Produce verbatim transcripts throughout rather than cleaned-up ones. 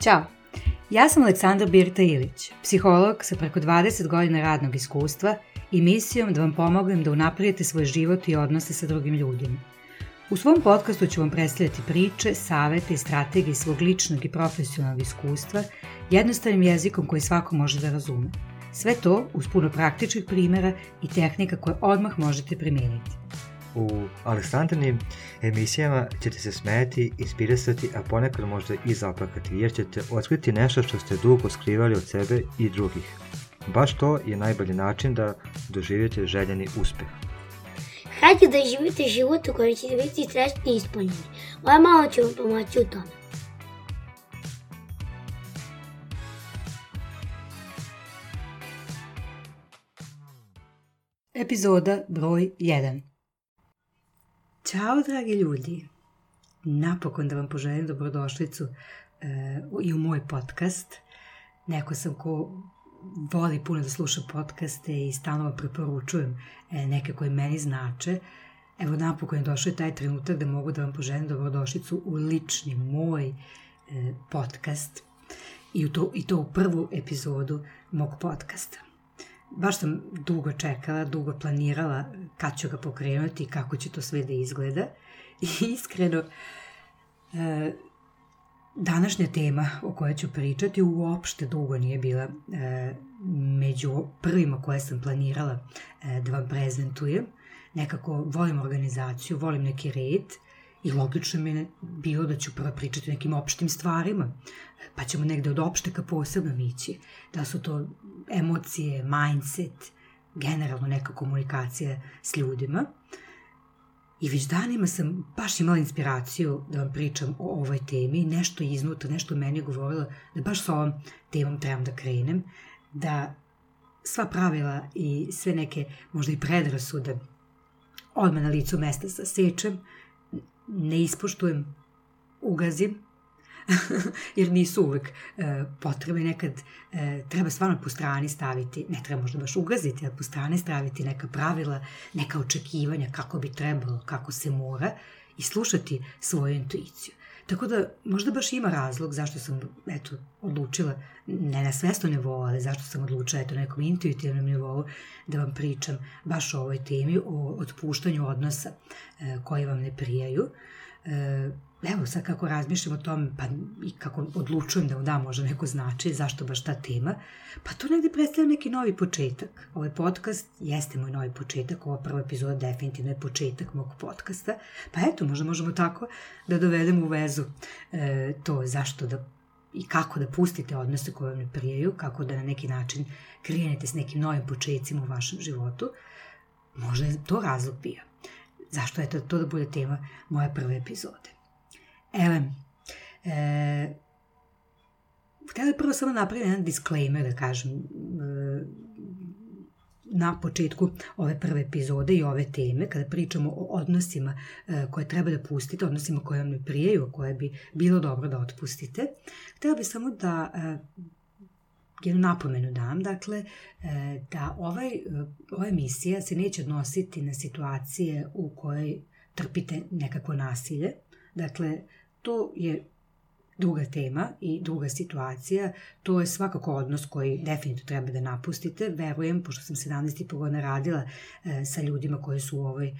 Ćao, ja sam Aleksandra Birta Ilić, psiholog sa preko dvadeset godina radnog iskustva i misijom da vam pomognem da unapredite svoj život i odnose sa drugim ljudima. U svom podcastu ću vam predstavljati priče, savete i strategije svog ličnog i profesionalnog iskustva jednostavnim jezikom koji svako može da razume. Sve to uz puno praktičnih primjera i tehnika koje odmah možete primijeniti. U Aleksandrinim emisijama ćete se smijeti, inspirisati, a ponekad možda i zaplakati, jer ćete otkriti nešto što ste dugo skrivali od sebe i drugih. Baš to je najbolji način da doživite željeni uspjeh. Hajde da živite život u kojem ćete biti srećni i ispunjeni. Moja mama će vam pomoći u tome. Epizoda broj jedan. Ćao dragi ljudi, napokon da vam poželim dobrodošlicu e, i u moj podcast. Neko sam ko voli puno da sluša podcaste i stalno preporučujem e, neke koje meni znače. Evo napokon je došao taj trenutak da mogu da vam poželim dobrodošlicu u lični moj e, podcast i, u to, i to u prvu epizodu mog podcasta. Baš sam dugo čekala, dugo planirala kad ću ga pokrenuti i kako će to sve da izgleda. I iskreno, e, današnja tema o kojoj ću pričati uopšte dugo nije bila e, među prvima koje sam planirala e, da vam prezentujem. Nekako volim organizaciju, volim neki red i logično mi je bilo da ću prvo pričati o nekim opštim stvarima, pa ćemo negde od opšte ka posebnom ići. Da su to emocije, mindset, generalno neka komunikacija s ljudima. I već danima sam baš imala inspiraciju da vam pričam o ovoj temi, nešto iznutra, nešto u meni je govorilo da baš s ovom temom trebam da krenem, da sva pravila i sve neke možda i predrasude odmah na licu mesta sasečem, ne ispoštujem, ugazim, jer nisu uvek e, potrebne, nekad e, treba stvarno po strani staviti, ne treba možda baš ugaziti, ali po strani staviti neka pravila, neka očekivanja kako bi trebalo, kako se mora i slušati svoju intuiciju. Tako da možda baš ima razlog zašto sam eto, odlučila, ne na svesno nivou, ali zašto sam odlučila eto, na nekom intuitivnom nivou da vam pričam baš o ovoj temi, o otpuštanju odnosa e, koji vam ne prijaju. E, Evo sad kako razmišljam o tome pa i kako odlučujem da mu dam možda neko značaj, zašto baš ta tema, pa to negdje predstavlja neki novi početak. Ovaj podcast jeste moj novi početak, ova prva epizoda definitivno je početak mog podcasta, pa eto možda možemo tako da dovedemo u vezu e, to zašto da i kako da pustite odnose koje vam ne prijaju, kako da na neki način krenete s nekim novim početcima u vašem životu. Možda je to razlog bio. Zašto je to, to da bude tema moje prve epizode. Evo, e, htjela prvo samo napraviti jedan disclaimer, da kažem, e, na početku ove prve epizode i ove teme, kada pričamo o odnosima e, koje treba da pustite, odnosima koje vam ne prijaju, koje bi bilo dobro da otpustite. Htjela bih samo da e, jednu napomenu dam, dakle, e, da ovaj, ova emisija se neće odnositi na situacije u kojoj trpite nekakvo nasilje. Dakle, to je druga tema i druga situacija, to je svakako odnos koji definitivno treba da napustite. Verujem, pošto sam sedamnaest i po godina radila e, sa ljudima koji su u ovoj e,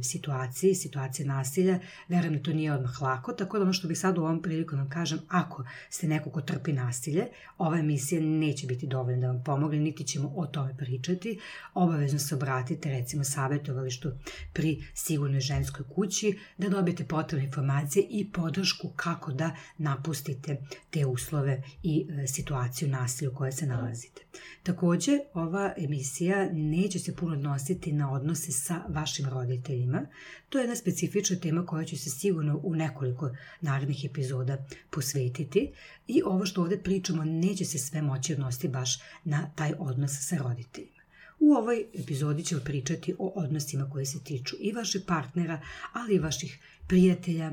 situaciji, situacije nasilja, verujem da to nije odmah lako, tako da ono što bih sad u ovom priliku vam kažem, ako ste neko ko trpi nasilje, ova emisija neće biti dovoljna da vam pomogne, niti ćemo o tome pričati. Obavezno se obratite, recimo, savjetovalištu pri Sigurnoj ženskoj kući, da dobijete potrebne informacije i podršku kako da napustite te uslove i e, situaciju nasilja u kojoj se nalazite. Također, ova emisija neće se puno odnositi na odnose sa vašim roditeljima. To je jedna specifična tema koja će se sigurno u nekoliko narednih epizoda posvetiti i ovo što ovdje pričamo neće se sve moći odnositi baš na taj odnos sa roditeljima. U ovoj epizodi ćemo pričati o odnosima koji se tiču i vašeg partnera, ali i vaših prijatelja,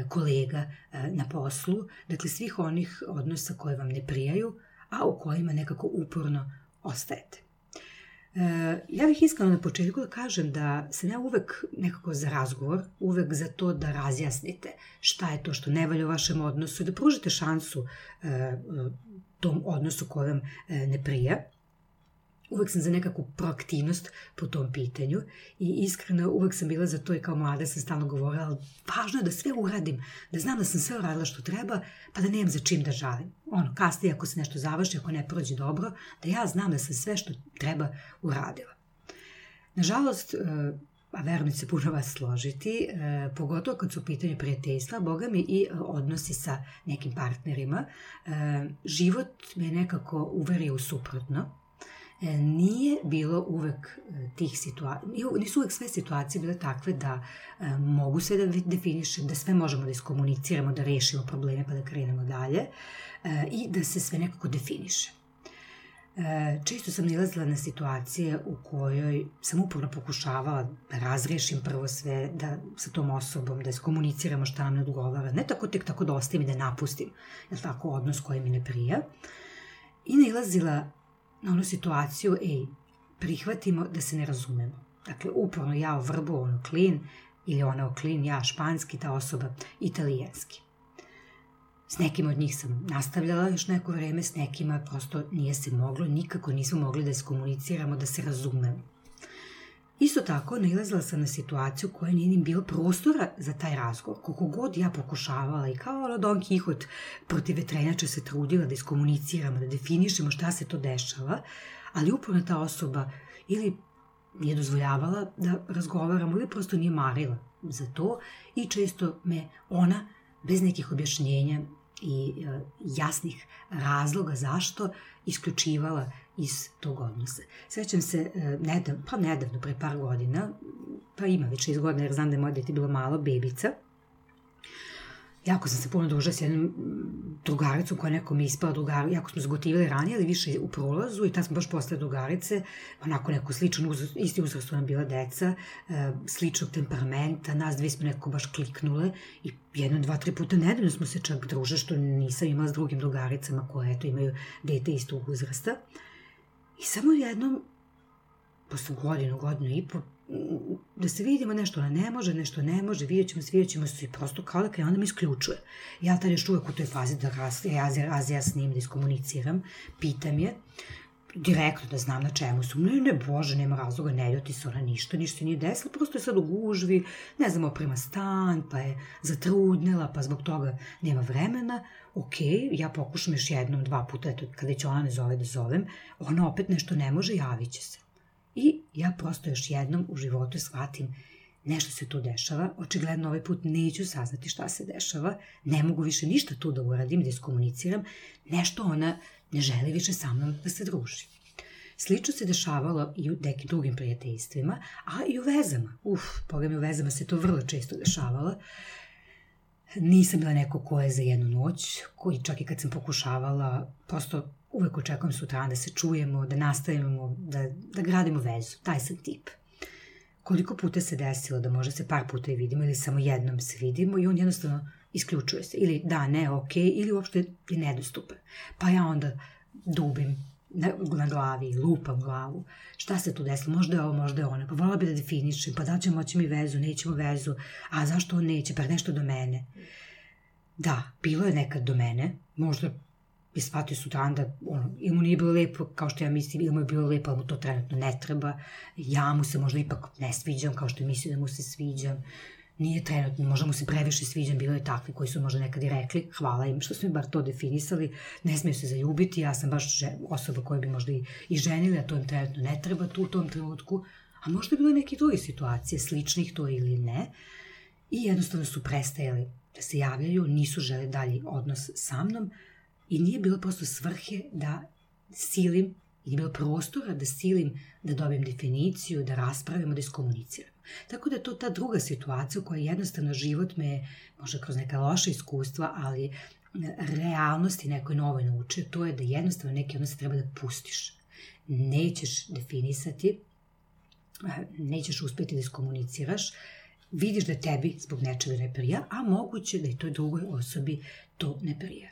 kolega na poslu, dakle svih onih odnosa koje vam ne prijaju, a u kojima nekako uporno ostajete. Ja bih iskreno na početku da kažem da sam ja uvek nekako za razgovor, uvek za to da razjasnite šta je to što ne valja u vašem odnosu i da pružite šansu tom odnosu koji vam ne prija. Uvek sam za nekakvu proaktivnost po tom pitanju i iskreno uvek sam bila za to i kao mlada sam stalno govorila, ali važno je da sve uradim, da znam da sam sve uradila što treba, pa da nemam za čim da žalim. Ono, kasnije ako se nešto završi, ako ne prođe dobro, da ja znam da sam sve što treba uradila. Nažalost, a verujem da se puno vas složiti, pogotovo kad su u pitanju prijateljstva, boga mi i odnosi sa nekim partnerima, život me nekako uverio u suprotno. Nije bilo uvek tih situacija, nisu uvek sve situacije bile takve da mogu sve da definišem, da sve možemo da iskomuniciramo, da rešimo probleme pa da krenemo dalje i da se sve nekako definiše. Često sam nalazila na situacije u kojoj sam uporno pokušavala da razrešim prvo sve, da sa tom osobom, da iskomuniciramo šta nam ne odgovara, ne tako tek tako da ostavim i da napustim, je tako, odnos koji mi ne prija. I nalazila na onu situaciju, ej, prihvatimo da se ne razumemo. Dakle, uporno ja o vrbu, ono klin, ili ona o klin, ja španski, ta osoba italijanski. S nekim od njih sam nastavljala još neko vreme, s nekima prosto nije se moglo, nikako nismo mogli da iskomuniciramo, da se razumemo. Isto tako, nailazila sam na situaciju koja nije ni bilo prostora za taj razgovor. Koliko god ja pokušavala i kao ono Don Kihot protiv vetrenjača se trudila da iskomuniciramo, da definišemo šta se to dešava, ali uporno ta osoba ili nije dozvoljavala da razgovaramo ili prosto nije marila za to i često me ona bez nekih objašnjenja i e, jasnih razloga zašto isključivala iz tog odnosa. Sećam se, e, nedav, pa nedavno, pre par godina, pa ima već šest godina jer znam da je moje dete bilo malo, bebica. Jako sam se puno družila s jednom drugaricom koja nekom je ispala drugara, jako smo zgotivali ranije, ali više u prolazu i tad smo baš postale drugarice, onako neko sličan uzrast, isti uzrast su nam bila deca, e, sličnog temperamenta, nas dve smo nekako baš kliknule i jedno, dva, tri puta nedeljno smo se čak druže, što nisam imala s drugim drugaricama koje eto imaju dete istog uzrasta. I samo jednom, posle godinu, godinu i po, da se vidimo nešto ona ne može, nešto ne može, vidjet ćemo se, vidjet ćemo se i prosto kao da krenu da me isključuje. Ja tad još uvek u toj fazi da razjasnim, da iskomuniciram, pitam je, direktno da znam na čemu su. Ne, ne, bože, nema razloga, ne ljuti se ona ništa, ništa se nije desilo, prosto je sad u gužvi, ne znam, oprema stan, pa je zatrudnela, pa zbog toga nema vremena. Ok, ja pokušam još jednom, dva puta, eto, kada će ona ne zove da zovem, ona opet nešto ne može, javit će se. I ja prosto još jednom u životu shvatim nešto se tu dešava, očigledno ovaj put neću saznati šta se dešava, ne mogu više ništa tu da uradim, da iskomuniciram, nešto ona ne želi više sa mnom da se druži. Slično se dešavalo i u nekim drugim prijateljstvima, a i u vezama. Uf, boga mi u vezama se to vrlo često dešavalo. Nisam bila neko ko je za jednu noć, koji čak i kad sam pokušavala, prosto uvek očekujem sutra da se čujemo, da nastavimo, da, da gradimo vezu. Taj sam tip. Koliko puta se desilo da možda se par puta i vidimo ili samo jednom se vidimo i on jednostavno isključuje se. Ili da, ne, ok, ili uopšte je nedostupan. Pa ja onda dubim na, na glavi, lupam glavu. Šta se tu desilo? Možda je ovo, možda je ono. Pa volila bi da definišem, pa da ćemo moći mi vezu, nećemo vezu. A zašto on neće? Pa nešto do mene. Da, bilo je nekad do mene. Možda je shvatio sutradan da ono, ili mu nije bilo lepo kao što ja mislim, ili mu je bilo lepo, ali mu to trenutno ne treba. Ja mu se možda ipak ne sviđam kao što je mislio da mu se sviđam. Nije trenutno, možda mu se previše sviđam, bilo je takvi koji su možda nekad i rekli, hvala im što su mi bar to definisali, ne smiju se zaljubiti, ja sam baš osoba koja bi možda i, i ženili, a to im trenutno ne treba tu u tom trenutku, a možda je bilo neke druge situacije, sličnih to ili ne, i jednostavno su prestajali da se javljaju, nisu žele dalji odnos sa mnom i nije bilo prosto svrhe da silim, i nije bilo prostora da silim, da dobijem definiciju, da raspravimo, da iskomuniciramo. Tako da je to ta druga situacija u kojoj jednostavno život me, možda kroz neka loša iskustva, ali realnosti nekoj novoj nauče, to je da jednostavno neki odnos treba da pustiš. Nećeš definisati, nećeš uspjeti da iskomuniciraš, vidiš da tebi zbog nečega ne prija, a moguće da i toj drugoj osobi to ne prija.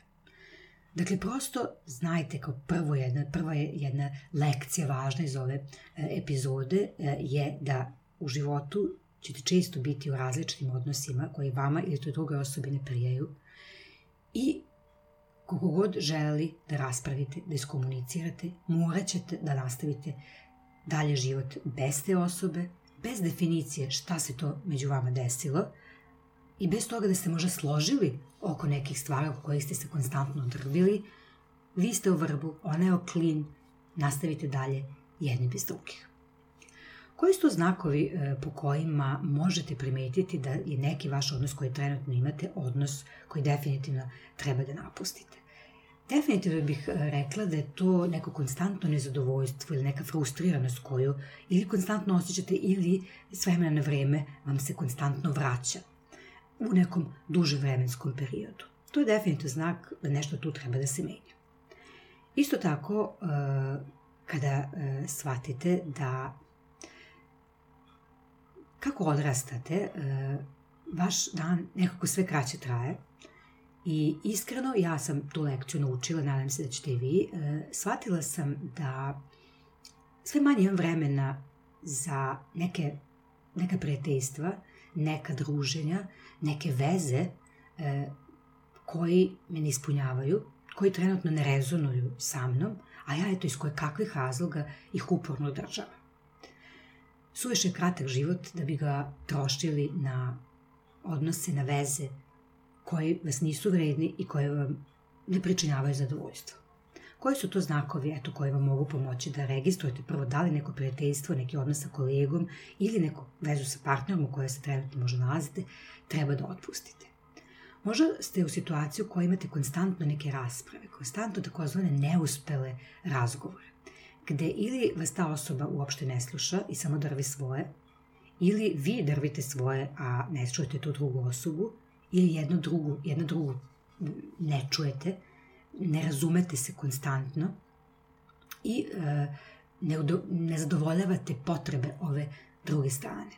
Dakle, prosto znajte kao prvo jedna, prva je jedna lekcija važna iz ove e, epizode e, je da u životu ćete često biti u različitim odnosima koji vama ili toj drugoj osobi ne prijaju i koliko god želi da raspravite, da iskomunicirate, morat ćete da nastavite dalje život bez te osobe, bez definicije šta se to među vama desilo i bez toga da ste možda složili oko nekih stvari oko kojih ste se konstantno drvili, vi ste u vrbu, ona je o klin, nastavite dalje jedni bez drugih. Koji su to znakovi e, po kojima možete primetiti da je neki vaš odnos koji trenutno imate odnos koji definitivno treba da napustite? Definitivno bih rekla da je to neko konstantno nezadovoljstvo ili neka frustriranost koju ili konstantno osjećate ili s vremena na vreme vam se konstantno vraća u nekom dužem vremenskom periodu. To je definitivno znak da nešto tu treba da se menja. Isto tako, kada shvatite da kako odrastate, vaš dan nekako sve kraće traje i iskreno ja sam tu lekciju naučila, nadam se da ćete i vi, shvatila sam da sve manje imam vremena za neke, neka prijateljstva, neka druženja, neke veze koji me ne ispunjavaju, koji trenutno ne rezonuju sa mnom, a ja eto iz koje kakvih razloga ih uporno održavam. Suviše je kratak život da bi ga trošili na odnose, na veze koji vas nisu vredni i koje vam ne pričinjavaju zadovoljstvo. Koji su to znakovi eto, koji vam mogu pomoći da registrujete prvo da li neko prijateljstvo, neki odnos sa kolegom ili neku vezu sa partnerom u kojoj se trenutno možda nalazite, treba da otpustite. Možda ste u situaciji u kojoj imate konstantno neke rasprave, konstantno takozvane neuspele razgovore, gde ili vas ta osoba uopšte ne sluša i samo drvi svoje, ili vi drvite svoje, a ne čujete tu drugu osobu, ili jednu drugu, jednu drugu ne čujete, ne razumete se konstantno i e, ne, udo, ne zadovoljavate potrebe ove druge strane.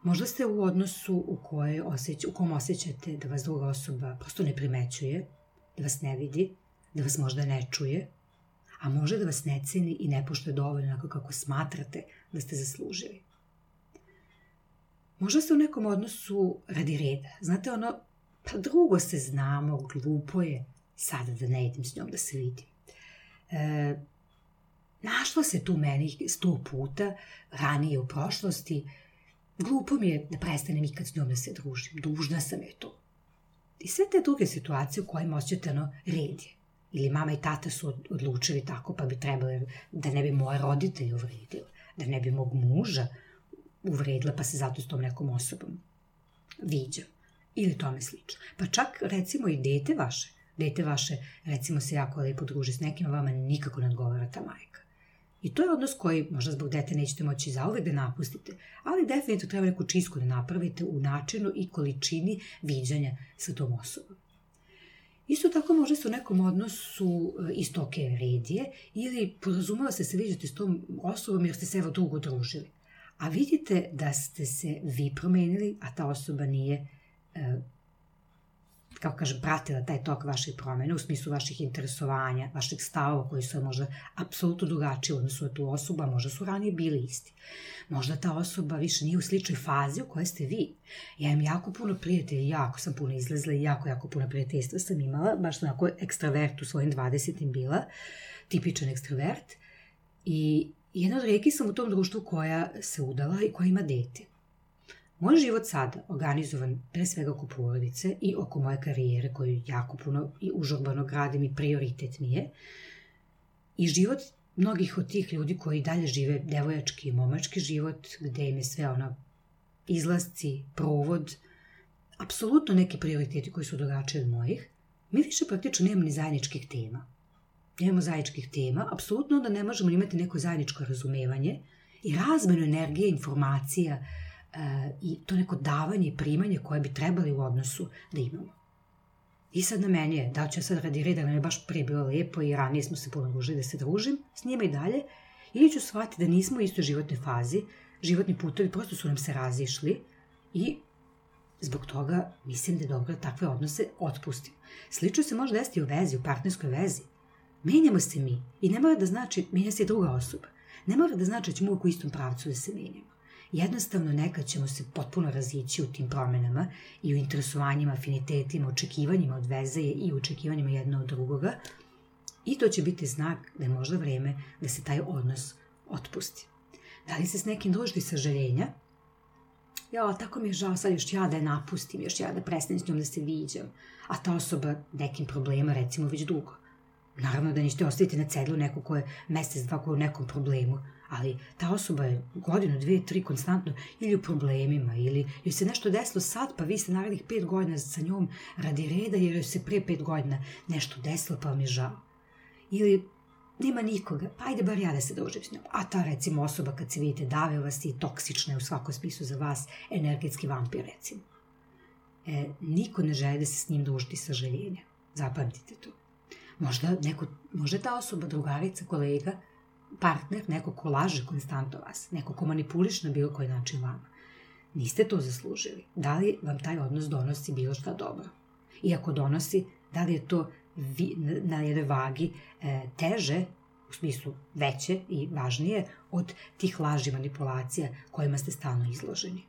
Možda ste u odnosu u, kojoj osjeć, u kom osjećate da vas druga osoba prosto ne primećuje, da vas ne vidi, da vas možda ne čuje, a može da vas ne ceni i ne poštuje dovoljno onako kako smatrate da ste zaslužili. Možda ste u nekom odnosu radi reda. Znate ono, pa drugo se znamo, glupo je sada da ne idem s njom da se vidim. E, našla se tu meni sto puta ranije u prošlosti, glupo mi je da prestanem ikad s njom da se družim, dužna sam je to. I sve te druge situacije u kojima osjećate ono red je. Ili mama i tata su odlučili tako, pa bi trebali da ne bi moje roditelje uvredili, da ne bi mog muža uvredila, pa se zato s tom nekom osobom viđa. Ili tome slično. Pa čak, recimo, i dete vaše, dete vaše, recimo, se jako lepo druži s nekim, a vama nikako ne odgovara ta majka. I to je odnos koji možda zbog dete nećete moći zauvek da napustite, ali definitivno treba neku čistku da napravite u načinu i količini viđanja sa tom osobom. Isto tako možda ste u nekom odnosu isto ok redije ili porazumela ste se viđate s tom osobom jer ste se evo dugo družili. A vidite da ste se vi promenili, a ta osoba nije, e, kako kažem, pratila taj tok vaših promjena u smislu vaših interesovanja, vaših stavova koji su možda apsolutno drugačiji u odnosu na tu osobu, a možda su ranije bili isti. Možda ta osoba više nije u sličnoj fazi u kojoj ste vi. Ja imam jako puno prijatelja, jako sam puno izlazila i jako, jako puno prijateljstva sam imala, baš onako ekstravert u svojim dvadesetim bila, tipičan ekstravert. I jedna od rijetki sam u tom društvu koja se udala i koja ima dete. Moj život sada, organizovan pre svega oko porodice i oko moje karijere koju jako puno i užurbano gradim i prioritet mi je, i život mnogih od tih ljudi koji dalje žive devojački i momački život, gde im je sve ono izlasci, provod, apsolutno neki prioriteti koji su drugačiji od mojih, mi više praktično nemamo ni zajedničkih tema. Nemamo zajedničkih tema, apsolutno onda ne možemo imati neko zajedničko razumevanje i razmenu energije, informacija uh, i to neko davanje i primanje koje bi trebali u odnosu da imamo. I sad na meni je, da ću ja sad radi reda, nam je baš prije bilo lepo i ranije smo se puno družili da se družim s njima i dalje, ili ću shvatiti da nismo u istoj životnoj fazi, životni putovi prosto su nam se razišli i zbog toga mislim da je dobro da takve odnose otpustimo. Slično se može desiti u vezi, u partnerskoj vezi. Menjamo se mi i ne mora da znači menja se druga osoba. Ne mora da znači da ćemo uvijek u istom pravcu da se menjamo. Jednostavno nekad ćemo se potpuno razići u tim promenama i u interesovanjima, afinitetima, očekivanjima od veze i očekivanjima jedno od drugoga i to će biti znak da je možda vreme da se taj odnos otpusti. Da li se s nekim družiti sažaljenja? Ja, tako mi je žao, sad još ja da je napustim, još ja da prestanem s njom da se viđam, a ta osoba nekim problema, recimo, već dugo. Naravno da nećete ostaviti na cedlu neko ko je mesec, dva ko je u nekom problemu, ali ta osoba je godinu, dve, tri konstantno ili u problemima, ili joj se nešto desilo sad, pa vi ste narednih pet godina sa njom radi reda, jer joj se pre pet godina nešto desilo, pa vam je žao. Ili nema nikoga, pa ajde bar ja da se družim s njom. A ta, recimo, osoba kad se vidite dave vas i toksična je u svakom smislu za vas, energetski vampir, recimo. E, niko ne želi da se s njim družiti sažaljenja. Zapamtite to. Možda, neko, možda ta osoba, drugarica, kolega, partner, neko ko laže konstantno vas, neko ko manipuliše na bilo koji način vama. Niste to zaslužili. Da li vam taj odnos donosi bilo šta dobro? I ako donosi, da li je to vi, na jednoj vagi e, teže, u smislu veće i važnije, od tih laži manipulacija kojima ste stalno izloženi?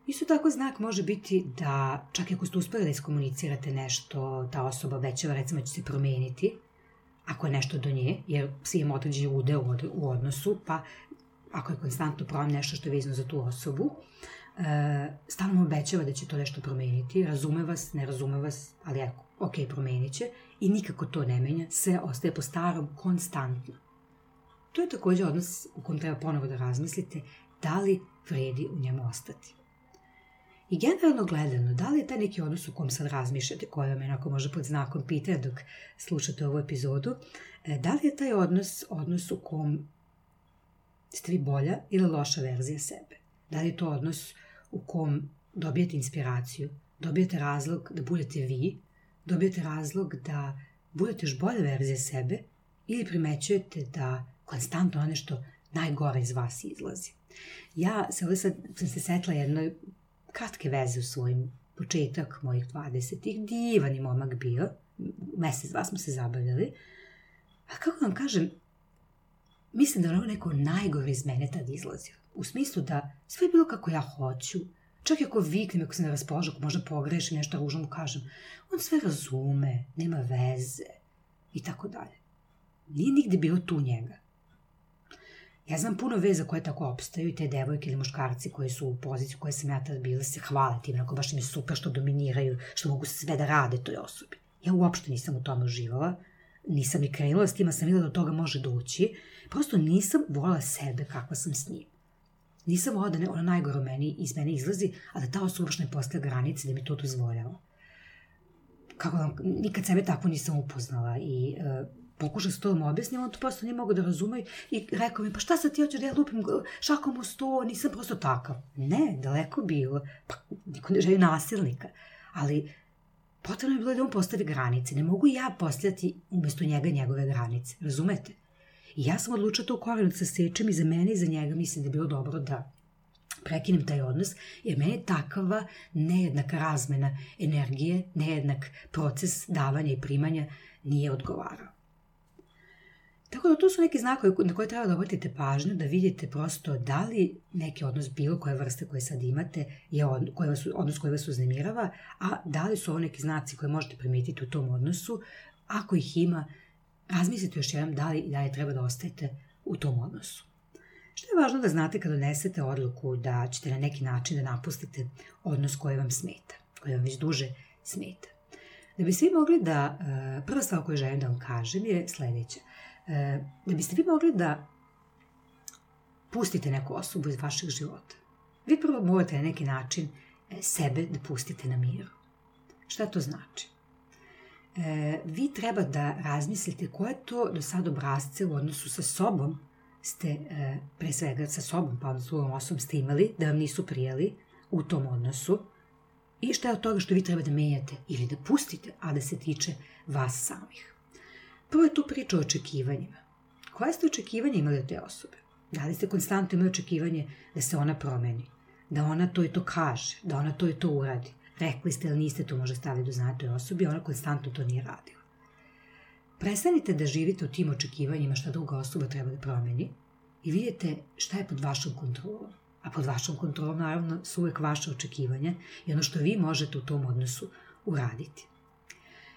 Isto tako znak može biti da, čak i ako ste uspeli da iskomunicirate nešto, ta osoba obećava, recimo, će se promeniti, ako je nešto do nje, jer svi imamo određeni udeo u odnosu, pa ako je konstantno problem nešto što je vezano za tu osobu, e, stalno mu obećava da će to nešto promeniti, razume vas, ne razume vas, ali ako, ok, promenit će, i nikako to ne menja, sve ostaje po starom konstantno. To je također odnos u kojem treba ponovo da razmislite da li vredi u njemu ostati. I generalno gledano, da li je taj neki odnos u kom sad razmišljate, koji vam jednako može pod znakom pitanja dok slušate ovu epizodu, da li je taj odnos odnos u kom ste vi bolja ili loša verzija sebe? Da li je to odnos u kom dobijete inspiraciju, dobijete razlog da budete vi, dobijete razlog da budete još bolja verzija sebe ili primećujete da konstantno ono nešto najgore iz vas izlazi? Ja se ovdje sad sam se setila jednoj kratke veze u svojim početak mojih dvadesetih, divan je momak bio, mesec, dva smo se zabavljali, a kako vam kažem, mislim da je ono neko najgore iz mene tad izlazio, u smislu da sve je bilo kako ja hoću, čak i ako viknem, ako se ne raspoložim, ako možda pogrešim, nešto ružno mu kažem, on sve razume, nema veze i tako dalje. Nije nigde bilo tu njega. Ja znam puno veza koje tako opstaju i te devojke ili muškarci koji su u poziciji koje sam ja tad bila se hvale tim, ako baš im je super što dominiraju, što mogu sve da rade toj osobi. Ja uopšte nisam u tome uživala, nisam ni krenula s tim, a sam videla da do toga može doći, prosto nisam volila sebe kakva sam s njim. Nisam volila da ne, ono najgore meni, iz mene izlazi, a da ta osoba baš ne postavlja granice da mi to dozvoljava. Kako vam, nikad sebe tako nisam upoznala i uh, pokušao se to da mu objasnim, on to prosto nije mogo da razume i rekao mi, pa šta sad ti hoćeš da ja lupim šakom u sto, nisam prosto takav. Ne, daleko bilo, pa niko ne želi nasilnika, ali potrebno je bilo da on postavi granice, ne mogu ja postavljati umjesto njega njegove granice, razumete? I ja sam odlučila to u korenu da se sečem i za mene i za njega mislim da je bilo dobro da prekinem taj odnos, jer meni je takava nejednaka razmena energije, nejednak proces davanja i primanja nije odgovarao. Tako da to su neki znakovi na koje treba da obratite pažnju, da vidite prosto da li neki odnos bilo koje vrste koje sad imate je od, koje vas, odnos koji vas uznemirava, a da li su ovo neki znaci koje možete primijetiti u tom odnosu. Ako ih ima, razmislite još jednom da li i dalje treba da ostajete u tom odnosu. Što je važno da znate kad donesete odluku da ćete na neki način da napustite odnos koji vam smeta, koji vam već duže smeta. Da bi svi mogli da, prva stvar koju želim da vam kažem je sljedeća. Da biste vi mogli da pustite neku osobu iz vašeg života, vi prvo morate na neki način sebe da pustite na miru. Šta to znači? E, vi treba da razmislite koje to do sad obrazce u odnosu sa sobom ste, e, pre svega sa sobom, pa s drugom osobom ste imali, da vam nisu prijeli u tom odnosu i šta je od toga što vi treba da menjate ili da pustite, a da se tiče vas samih. Prvo je tu priča o očekivanjima. Koje ste očekivanja imali od te osobe? Da li ste konstantno imali očekivanje da se ona promeni? da ona to i to kaže, da ona to i to uradi. Rekli ste ili niste, to može staviti do znanja toj osobi, ona konstantno to nije radila. Prestanite da živite u tim očekivanjima šta druga osoba treba da promeni i vidite šta je pod vašom kontrolom. A pod vašom kontrolom, naravno, su uvek vaše očekivanja i ono što vi možete u tom odnosu uraditi.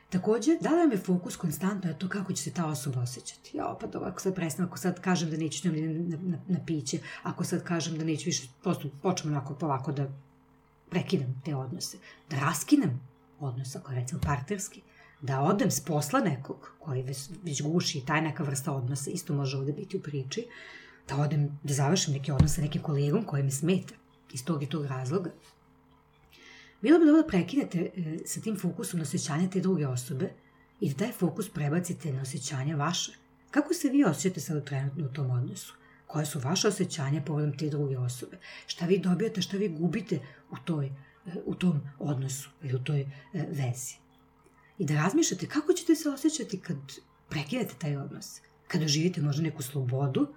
Takođe, da li vam je fokus konstantno na to kako će se ta osoba osjećati? Ja, pa dobro, ako sad prestanem, ako sad kažem da neću s njom na, na, na piće, ako sad kažem da neću više, prosto počnem onako polako da prekinem te odnose, da raskinem odnos, ako je recimo partnerski, da odem s posla nekog koji već, već guši, taj neka vrsta odnosa, isto može ovde biti u priči, da odem, da završim neke odnose sa nekim kolegom koji me smeta iz tog i tog razloga. Bilo bi dobro da prekinete e, sa tim fokusom na osjećanja te druge osobe i da taj fokus prebacite na osjećanja vaše. Kako se vi osjećate sad trenutno u tom odnosu? Koje su vaše osjećanja povodom te druge osobe? Šta vi dobijate, šta vi gubite u, toj, e, u tom odnosu ili u toj e, vezi? I da razmišljate kako ćete se osjećati kad prekinete taj odnos, kad doživite možda neku slobodu,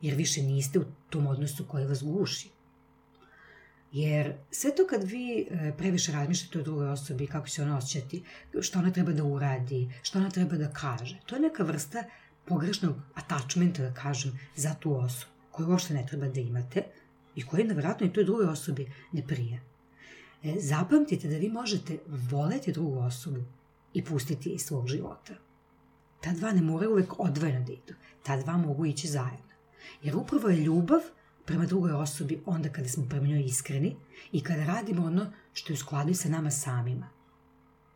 jer više niste u tom odnosu koji vas guši. Jer sve to kad vi previše razmišljate o drugoj osobi, kako će ona osjećati, što ona treba da uradi, što ona treba da kaže, to je neka vrsta pogrešnog attachmenta, da kažem, za tu osobu, koju uopšte ne treba da imate i koji nevjerojatno i toj drugoj osobi ne prija. Zapamtite da vi možete voleti drugu osobu i pustiti iz svog života. Ta dva ne moraju uvek odvojeno da idu, ta dva mogu ići zajedno. Jer upravo je ljubav prema drugoj osobi onda kada smo prema njoj iskreni i kada radimo ono što je u skladu sa nama samima.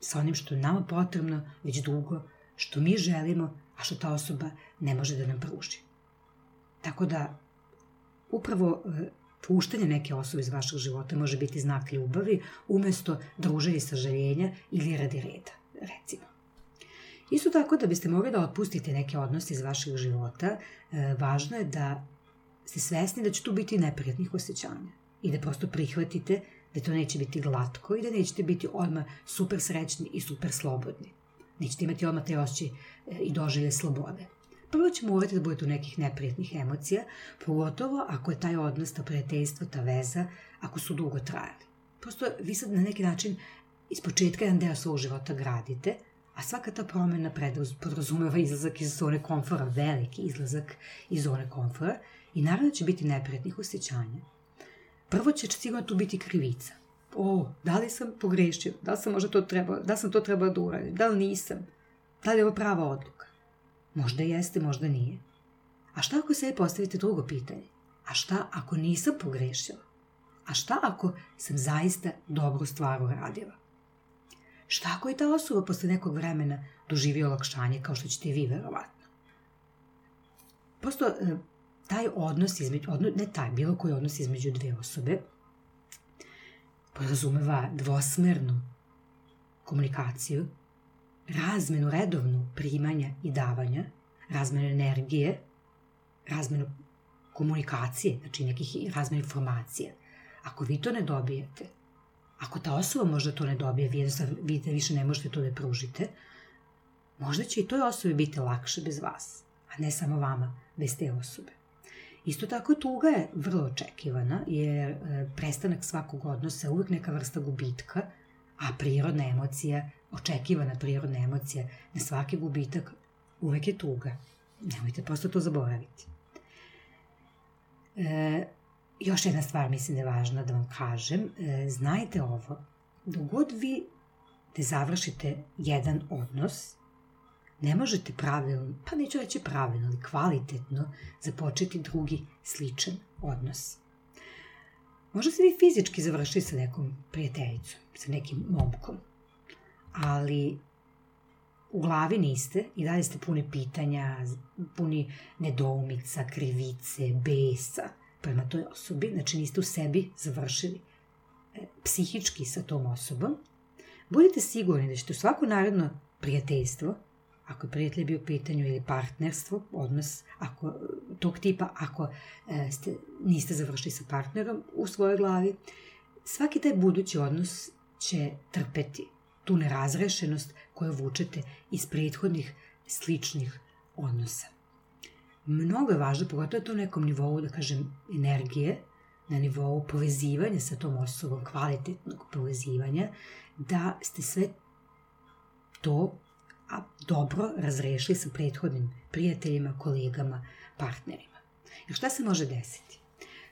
Sa onim što je nama potrebno već dugo, što mi želimo, a što ta osoba ne može da nam pruži. Tako da, upravo puštanje neke osobe iz vašeg života može biti znak ljubavi umesto druženja i sažaljenja ili radi reda, recimo. Isto tako, da biste mogli da otpustite neke odnose iz vašeg života, važno je da ste svesni da će tu biti neprijatnih osjećanja i da prosto prihvatite da to neće biti glatko i da nećete biti odmah super srećni i super slobodni. Nećete imati odmah te osjećaj i doživlje slobode. Prvo će morati da budete u nekih neprijatnih emocija, pogotovo ako je taj odnos, ta prijateljstvo, ta veza, ako su dugo trajali. Prosto vi sad na neki način iz početka jedan deo svog života gradite, a svaka ta promjena podrazumeva izlazak iz zone komfora, veliki izlazak iz zone komfora i naravno će biti neprijatnih osjećanja. Prvo će sigurno tu biti krivica. O, da li sam pogrešio? Da li sam možda to trebao, da li sam to trebao da uradim? Da li nisam? Da li je ovo prava odluka? Možda jeste, možda nije. A šta ako sebi postavite drugo pitanje? A šta ako nisam pogrešila? A šta ako sam zaista dobru stvar uradila? Šta ako je ta osoba posle nekog vremena doživio olakšanje kao što ćete i vi verovatno? Prosto taj odnos između, odno, ne taj, bilo koji odnos između dve osobe podrazumeva dvosmernu komunikaciju, razmenu redovnu primanja i davanja, razmenu energije, razmenu komunikacije, znači nekih razmenu informacija. Ako vi to ne dobijete, ako ta osoba možda to ne dobije, vi vidite više ne možete to da pružite, možda će i toj osobi biti lakše bez vas, a ne samo vama bez te osobe. Isto tako tuga je vrlo očekivana, jer prestanak svakog odnosa je uvijek neka vrsta gubitka, a prirodna emocija, očekivana prirodna emocija na svaki gubitak uvijek je tuga. Nemojte prosto to zaboraviti. E, još jedna stvar mislim da je važna da vam kažem. E, znajte ovo, dok god vi ne završite jedan odnos, ne možete pravilno, pa neću reći pravilno, ali kvalitetno započeti drugi sličan odnos. Možda ste vi fizički završili sa nekom prijateljicom, sa nekim momkom, ali u glavi niste i dalje ste puni pitanja, puni nedoumica, krivice, besa prema toj osobi, znači niste u sebi završili psihički sa tom osobom. Budite sigurni da ćete u svako naredno prijateljstvo, ako je prijatelj bio u pitanju ili partnerstvo, odnos ako, tog tipa, ako e, ste, niste završili sa partnerom u svojoj glavi, svaki taj budući odnos će trpeti tu nerazrešenost koju vučete iz prethodnih sličnih odnosa. Mnogo je važno, pogotovo to u nekom nivou, da kažem, energije, na nivou povezivanja sa tom osobom, kvalitetnog povezivanja, da ste sve to a, dobro razrešili sa prethodnim prijateljima, kolegama, partnerima. Jer šta se može desiti?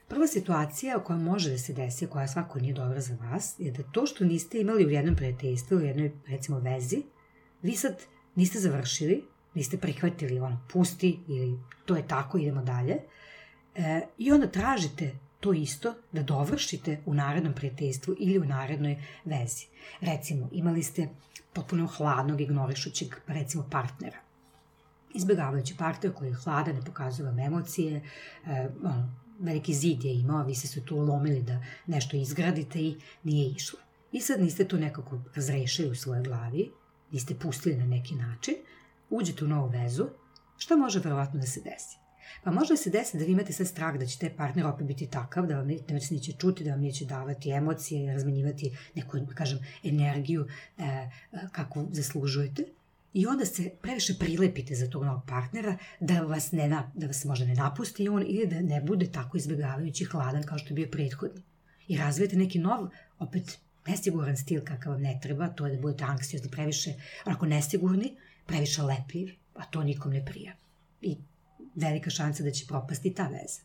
Prva situacija koja može da se desi, koja svako nije dobra za vas, je da to što niste imali u jednom prijateljstvu, u jednoj, recimo, vezi, vi sad niste završili, niste prihvatili ono, pusti ili to je tako, idemo dalje, e, i onda tražite to isto da dovršite u narednom prijateljstvu ili u narednoj vezi. Recimo, imali ste potpuno hladnog, ignorišućeg, recimo, partnera. Izbjegavajući partner koji je hladan, ne pokazuje vam emocije, e, ono, veliki zid je imao, vi ste se tu lomili da nešto izgradite i nije išlo. I sad niste to nekako razrešili u svojoj glavi, niste pustili na neki način, uđete u novu vezu, šta može verovatno da se desi? Pa može da se desi da vi imate sad strah da će taj partner opet biti takav, da vam neće čuti, da vam neće davati emocije, razmenjivati neku, da kažem, energiju e, kakvu zaslužujete. I onda se previše prilepite za tog novog partnera da vas, ne, da vas možda ne napusti on ili da ne bude tako izbjegavajući hladan kao što je bio prethodni. I razvijete neki nov, opet nesiguran stil kakav vam ne treba, to je da budete anksiozni, previše, onako nesigurni, previše lepljivi, a to nikom ne prija. I velika šansa da će propasti ta veza.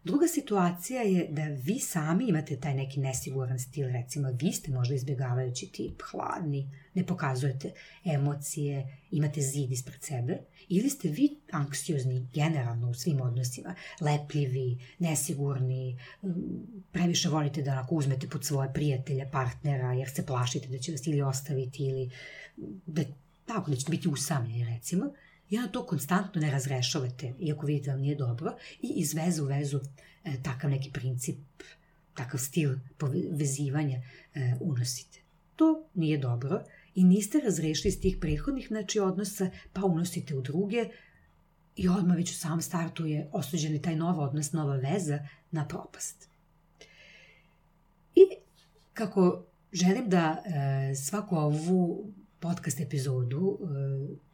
Druga situacija je da vi sami imate taj neki nesiguran stil, recimo vi ste možda izbjegavajući tip, hladni, ne pokazujete emocije, imate zid ispred sebe, ili ste vi anksiozni generalno u svim odnosima, lepljivi, nesigurni, previše volite da onako uzmete pod svoje prijatelje, partnera, jer se plašite da će vas ili ostaviti ili da, tako, da ćete biti usamljeni, recimo, i onda to konstantno ne razrešavate, iako vidite da vam nije dobro, i iz veze u vezu e, takav neki princip, takav stil vezivanja e, unosite. To nije dobro i niste razrešili iz tih prethodnih znači, odnosa, pa unosite u druge i odmah već u samom startu je osuđen taj nov odnos, nova veza na propast. I kako želim da e, svaku ovu podcast epizodu e,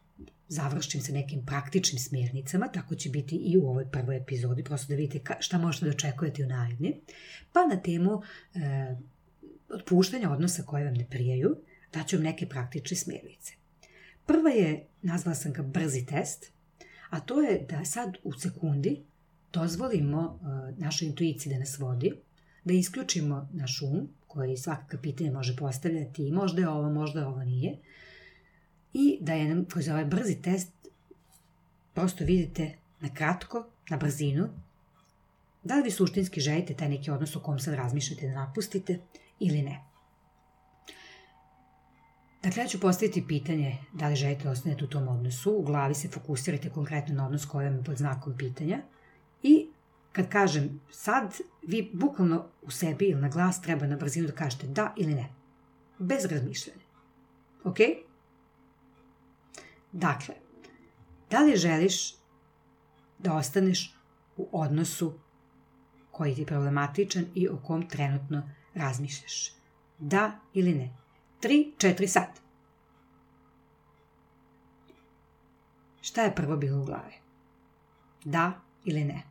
završim sa nekim praktičnim smjernicama, tako će biti i u ovoj prvoj epizodi, prosto da vidite šta možete da očekujete u naredni, pa na temu e, otpuštanja odnosa koje vam ne prijaju, daću vam neke praktične smjernice. Prva je, nazvala sam ga brzi test, a to je da sad u sekundi dozvolimo e, našoj intuiciji da nas vodi, da isključimo naš um, koji svakakve pitanje može postavljati i možda je ovo, možda je ovo nije, i da je kroz ovaj brzi test prosto vidite na kratko, na brzinu, da li vi suštinski želite taj neki odnos o kom sad razmišljate da napustite ili ne. Dakle, ja ću postaviti pitanje da li želite da ostanete u tom odnosu, u glavi se fokusirajte konkretno na odnos koji vam je pod znakom pitanja i kad kažem sad, vi bukvalno u sebi ili na glas treba na brzinu da kažete da ili ne, bez razmišljanja. Ok? Dakle, da li želiš da ostaneš u odnosu koji ti je problematičan i o kom trenutno razmišljaš? Da ili ne? Tri, četiri sad. Šta je prvo bilo u glavi? Da ili ne?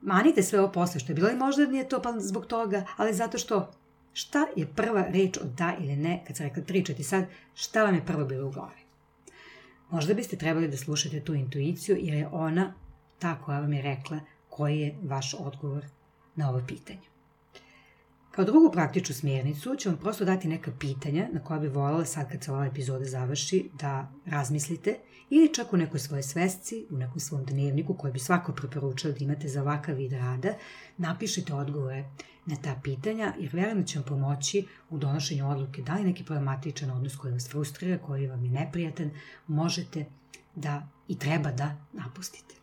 Manite sve ovo posle što je bilo i možda nije to pa zbog toga, ali zato što šta je prva reč od da ili ne, kad sam rekla tri, četiri sad, šta vam je prvo bilo u glavi? Možda biste trebali da slušate tu intuiciju jer je ona ta koja vam je rekla koji je vaš odgovor na ovo pitanje. Kao drugu praktičnu smjernicu ću vam prosto dati neka pitanja na koja bi voljela sad kad se ova epizoda završi da razmislite ili čak u nekoj svojoj svesci, u nekom svom dnevniku koji bi svako preporučio da imate za ovakav vid rada, napišite odgovore na ta pitanja jer verujem da će vam pomoći u donošenju odluke da li neki problematičan odnos koji vas frustrira, koji vam je neprijatan, možete da i treba da napustite.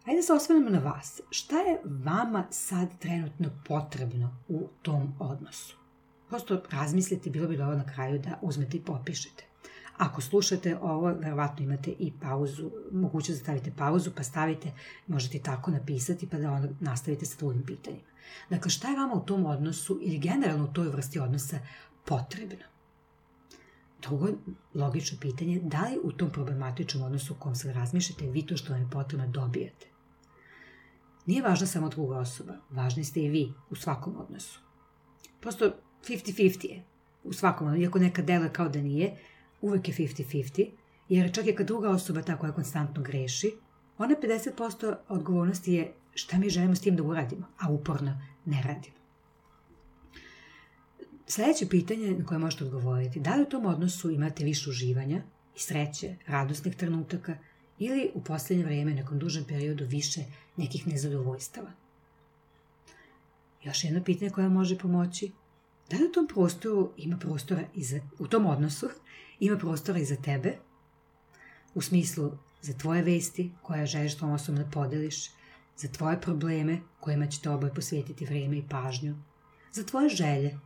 Hajde da se osvrnemo na vas. Šta je vama sad trenutno potrebno u tom odnosu? Prosto razmislite, bilo bi dobro na kraju da uzmete i popišete. Ako slušate ovo, verovatno imate i pauzu, mogućnost da stavite pauzu, pa stavite, možete tako napisati, pa da onda nastavite sa drugim pitanjima. Dakle, šta je vama u tom odnosu ili generalno u toj vrsti odnosa potrebno? Drugo logično pitanje, da li u tom problematičnom odnosu u kom sad razmišljate vi to što vam je potrebno dobijate? Nije važna samo druga osoba, važni ste i vi u svakom odnosu. Prosto fifty fifty je u svakom odnosu, iako nekad deluje kao da nije, uvek je fifty fifty, jer čak i kad druga osoba ta koja konstantno greši, ona pedeset posto odgovornosti je šta mi želimo s tim da uradimo, a uporno ne radimo. Sljedeće pitanje na koje možete odgovoriti, da li u tom odnosu imate više uživanja i sreće, radosnih trenutaka ili u posljednje vrijeme, nekom dužem periodu, više nekih nezadovoljstava. Još jedno pitanje koje može pomoći, da li u tom prostoru ima prostora i za, u tom odnosu ima prostora i za tebe, u smislu za tvoje vesti koje želiš tom osobom da podeliš, za tvoje probleme kojima ćete oboje posvetiti vrijeme i pažnju, za tvoje želje,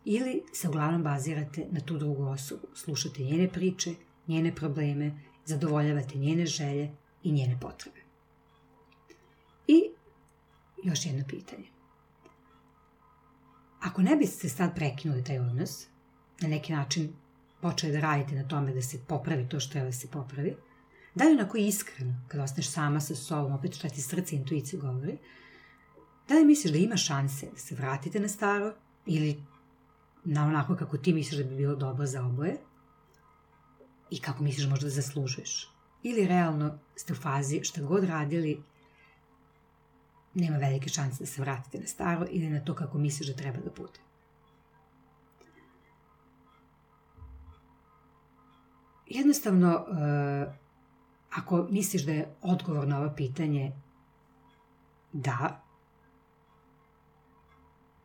ili se uglavnom bazirate na tu drugu osobu, slušate njene priče, njene probleme, zadovoljavate njene želje i njene potrebe. I još jedno pitanje. Ako ne biste sad prekinuli taj odnos, na neki način počeli da radite na tome da se popravi to što treba da se popravi, da li onako iskreno, kada ostaneš sama sa sobom, opet šta ti srce i intuicija govori, da li misliš da ima šanse da se vratite na staro ili na onako kako ti misliš da bi bilo dobro za oboje i kako misliš možda da zaslužuješ. Ili realno ste u fazi šta god radili, nema velike šanse da se vratite na staro ili na to kako misliš da treba da bude. Jednostavno, ako misliš da je odgovor na ovo pitanje da,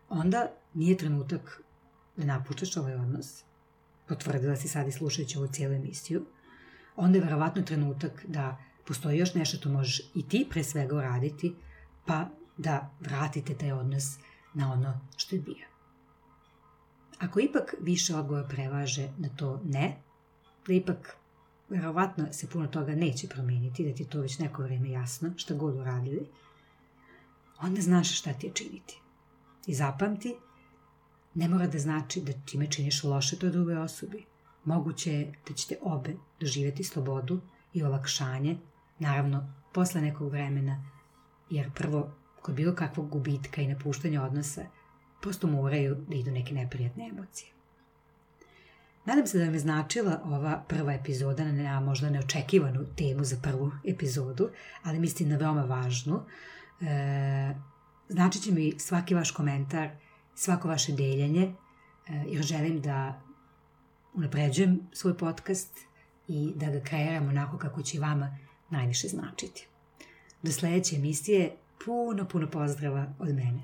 onda nije trenutak da napuštaš ovaj odnos, potvrdila si sad i slušajući ovu cijelu emisiju, onda je verovatno trenutak da postoji još nešto što možeš i ti pre svega uraditi, pa da vratite taj odnos na ono što je bio. Ako ipak više odgovor prevaže na to ne, da ipak verovatno se puno toga neće promijeniti, da ti je to već neko vrijeme jasno, šta god uradili, onda znaš šta ti je činiti. I zapamti, ne mora da znači da time činiš loše toj drugoj osobi. Moguće je da ćete obe doživjeti slobodu i olakšanje, naravno, posle nekog vremena, jer prvo, kod bilo kakvog gubitka i napuštanja odnosa, prosto moraju da idu neke neprijatne emocije. Nadam se da vam je značila ova prva epizoda na možda neočekivanu temu za prvu epizodu, ali mislim na veoma važnu. E, znači će mi svaki vaš komentar, svako vaše deljenje, jer želim da unapređujem svoj podcast i da ga kreiram onako kako će vama najviše značiti. Do sljedeće emisije, puno, puno pozdrava od mene.